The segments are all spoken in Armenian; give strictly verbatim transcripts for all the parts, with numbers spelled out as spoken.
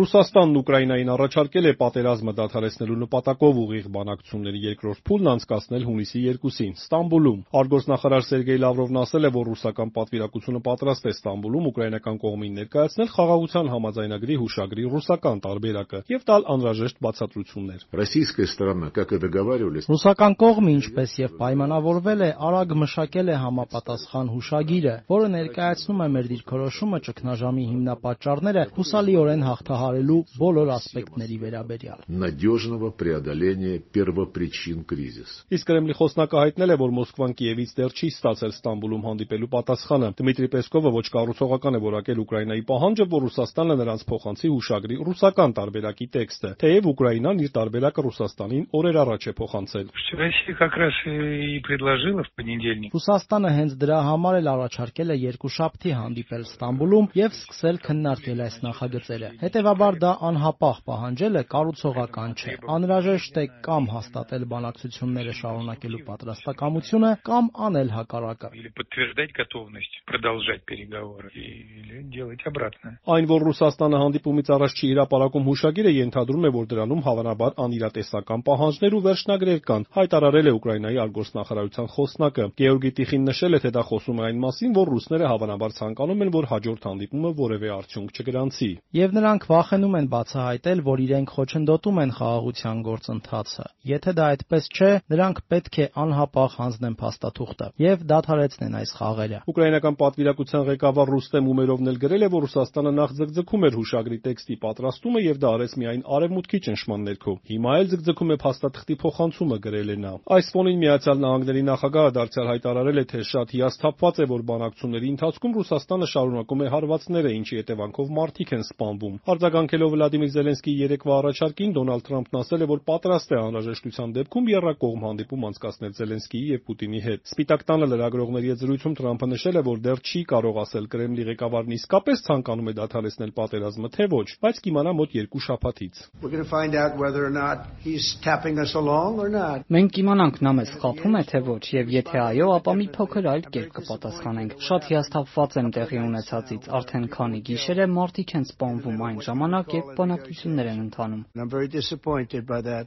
Ռուսաստանն Ուկրաինային առաջարկել է պատերազմը դադարեցնելու նպատակով ուղիղ բանակցությունների երկրորդ փուլն անցկացնել հունիսի երկուսին Ստամբուլում։ Արտգործնախարար Սերգեյ Լավրովն ասել է, որ ռուսական պատվիրակությունը պատրաստ է Ստամբուլում ուկրաինական կողմին ներկայացնել խաղաղության համաձայնագրի հուշագրի ռուսական տարբերակը և տալ անհրաժեշտ բացատրություններ։ Ռուսական կողմը, ինչպես և պայմանավորվել է, արագ մշակել է համապատասխան հուշագիրը, որը ներկայացնում է մեր դիրքորոշումը ճգնաժամի հիմնապատճառները հուսալիորեն հաղթահարելու բոլոր ասպեկտների վերաբերյալ։ Իսկ Կրեմլի խոսնակը հայտնել է, որ Մոսկվան Կիևից դեռ չի ստացել Ստամբուլում հանդիպելու պատասխանը։ Դմիտրի Պեսկովը ոչ կառուցողական է որակել Ուկրաինայի պահանջը, որ Ռուսաստանը նրանց փոխանցի հուշագրի ռուսական տարբերակի տեքստը, թեև Ուկրաինան իր տարբերակը Ռուսաստանին օրեր առաջ է փոխանցել։ Ռուսաստանը հենց դրա համար էլ առաջարկել է երկուշաբթի հանդիպել Ստամբուլում և սկսել քննարկել այս նախագծերը։ Հետևաբար դա անհապաղ պահանջելը կառուցողական չէ։ Անհրաժեշտ է կամ հաստատել բանակցությունները շարունակելու պատրաստակամությունը, կամ անել հակառակը։ Այն, որ Ռուսաստանը հանդիպումից առաջ չի հրապարակում հուշագիրը, ենթադրում է, որ դրանում հավանաբար անիրատեսական պահանջներ ու վերջնագրեր կան, հայտարարել է Ուկրաինայի արտգործնախարարության խոսնակը։ Գեորգի Տիխին նշել է, թե դա խոսում է այն մասին, որ ռուսները հավանաբար ցանկանում են, որ հաջորդ հանդիպումը որևէ արդյունք չգրանցի։ Եվ նրանք վախենում են բացահայտել, որ իրենք խոչընդոտում են խաղաղության գործընթացը։ Եթե դա այդպես չէ, նրանք պետք է անհապաղ հանձնեն փաստաթուղթը և դադարեցնեն այս խաղերը։ Ուկրաինական պատվիրակության ղեկավար Ռուստեմ Ումերովն էլ գրել է, որ Ռուսաստանը նախ ձգձգում էր հուշագրի տեքստի պատրաստումը և դա արեց միայն արևմուտքի ճնշման ներքո։ Հիմա էլ ձգձգում է փաստաթղթի փոխանցումը, գրել է նա։ Այս ֆոնին Միացյալ Նահանգների նախագահը դարձյալ հայտարարել է, թե շատ հիասթափված է, որ բանակցությունների ընթացքում Ռուսաստանը շարունակում է հարվածները, ինչի հետևանքով մարդիկ են սպանվում։ Արձագանքելով Վլադիմիր Զելենսկիի երեկվա առաջարկին, Դոնալդ Թրամփն ասել է, որ պատրաստ է անհրաժեշտության դեպքում եռակողմ հանդիպում անցկացնել Զելենսկիի և Պուտինի հետ։ Սպիտակ տանը լրագրողների հետ զրույցում Թրամփը նշել է, որ դեռ չի կարող ասել Կրեմլի ղեկավարն իսկապես ցանկանում է դադարեցնել պատերազմը, թե ոչ, բայց կիմանա մոտ երկու շաբաթից։ Մենք կիմանանք նա մեզ խաբում է, թե ոչ, և եթե այո, ապա մի փոքր այլ կերպ կպատասխանենք։ Շատ հիասթափված եմ տեղի ունեցածից, արդեն քանի գիշեր է մարդիկ են սպանվում այն ժամանակ, երբ բանակցություններ են ընթանում։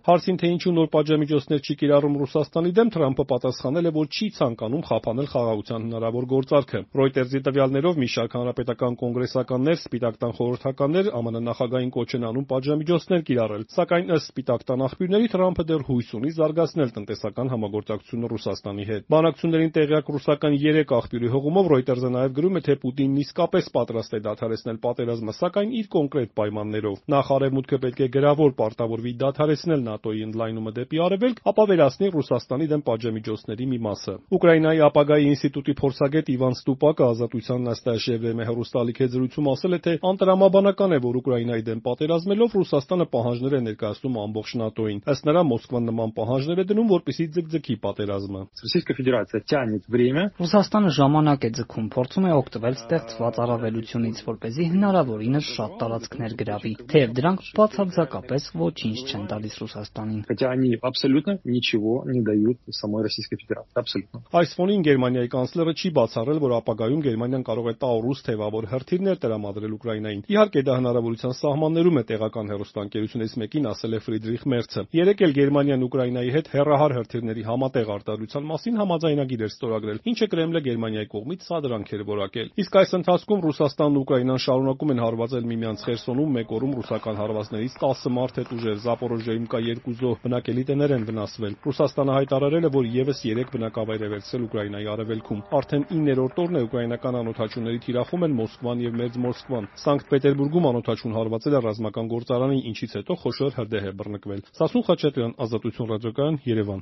Հարցին, թե ինչու նոր պատժամիջոցներ չի կիրառում Ռուսաստանի դեմ, Թրամփը պատասխանել է, որ չի ցանկանում խափանել խաղաղության հնարավոր գործարքը։ Ռոյտերզի տվյալներով մի շարք հանրապետական կոնգրեսականներ, Սպիտակ տան խորհրդականներ ԱՄՆ նախագահային կոչ են անում պատժամիջոցներ կիրառել, սակայն ըստ Սպիտակ տան աղբյուրների Թրամփը դեռ հույս ունի զարգացնել տնտեսական համագործակցությունը Ռուսաստանի հետ։ Բանակցություններին տեղյակ ռուսական երեք աղբյուրի հողումով Ռոյտերզը նաև գրում է, թե Պուտինն իսկապես պատրաստ է դադարեցնել պատերազմը, սակայն իր կոնկրետ պայմաններով։ Նախ Արևմուտքը պետք է գրավոր պարտավորվի դադարեցնել ՆԱՏՕ-ի ընդլայնումը դեպի Արևելք, ապա վերացնի Ռուսաստանի դեմ պատժամիջոցների մի մասը։ Ուկրաինայի ապագայի ինստիտուտի փորձագետ Իվան Ստուպակը Ազատության նաստաշիե վեպի հեռուստաալիք հետ զրույցում ասել է, թե անտրամաբանական է, որ Ուկրաինայի դեմ պատերազմելով Ռուսաստանը պահանջներ է ներկայացնում ամբողջ ՆԱՏՕ-ին։ Ըստ նրա, Մոսկվան նման պահանջներ է դնում, որպեսզի ձգձգի պատերազմը։ Ռուսաստանը ժամանակ է ձգում, փորձում է օգտվել ստեղծված առավելությունից, որպեսզի հնարավորինս շատ տարածքներ գրավի, թեև դրանք բացարձակապես ոչինչ չեն տալիս Ռուսաստանին։ Այս ֆոնին Գերմանիայի կանցլերը չի բացառել, որ ապագայում Գերմանիան կարող է տաուրուս թևավոր հրթիռներ տրամադրել Ուկրաինային։ Իհարկե, դա հնարավորության սահմաններում է, տեղական հեռուստաընկերությունից մեկին ասել է Ֆրիդրիխ Մերցը։ Երեկ էլ Գերմանիան Ուկրաինայի հետ հեռահար հրթիռների համատեղ արտադրության մասին համաձայնագիր էր ստորագրել, ինչը Կրեմլը Գերմանիայի կողմից սադրանք էր որակել։ Իսկ այս ընթացքում Ռուսաստանն ու Ուկրաինան շարունակում են հարվածել միմյանց Խերսոնում մեկ օրում ռուսական հարվածներից տասը մարդ հետ ուժեր, Զապորոժիայում կա երկու զոհ, բնակելի տներ են վնասվել։ Ռուսաստանը հայտարարել է, որ ևս երեք բնակավայր է վերցրել Ուկրաինայի արևելքում։ Արդեն իններորդ օրն է ուկրաինական անօդաչուների թիրախում են Մոսկվան և Մերձ Մոսկվան։ Սանկտ Պետերբուրգում անօդաչուն հարվածել է ռազմական գործարանին, ինչից հետո խոշոր հրդեհ է բռնկվել։ Սասուն Խաչատրյան, Ազատություն ռադիոկայան, Երևան։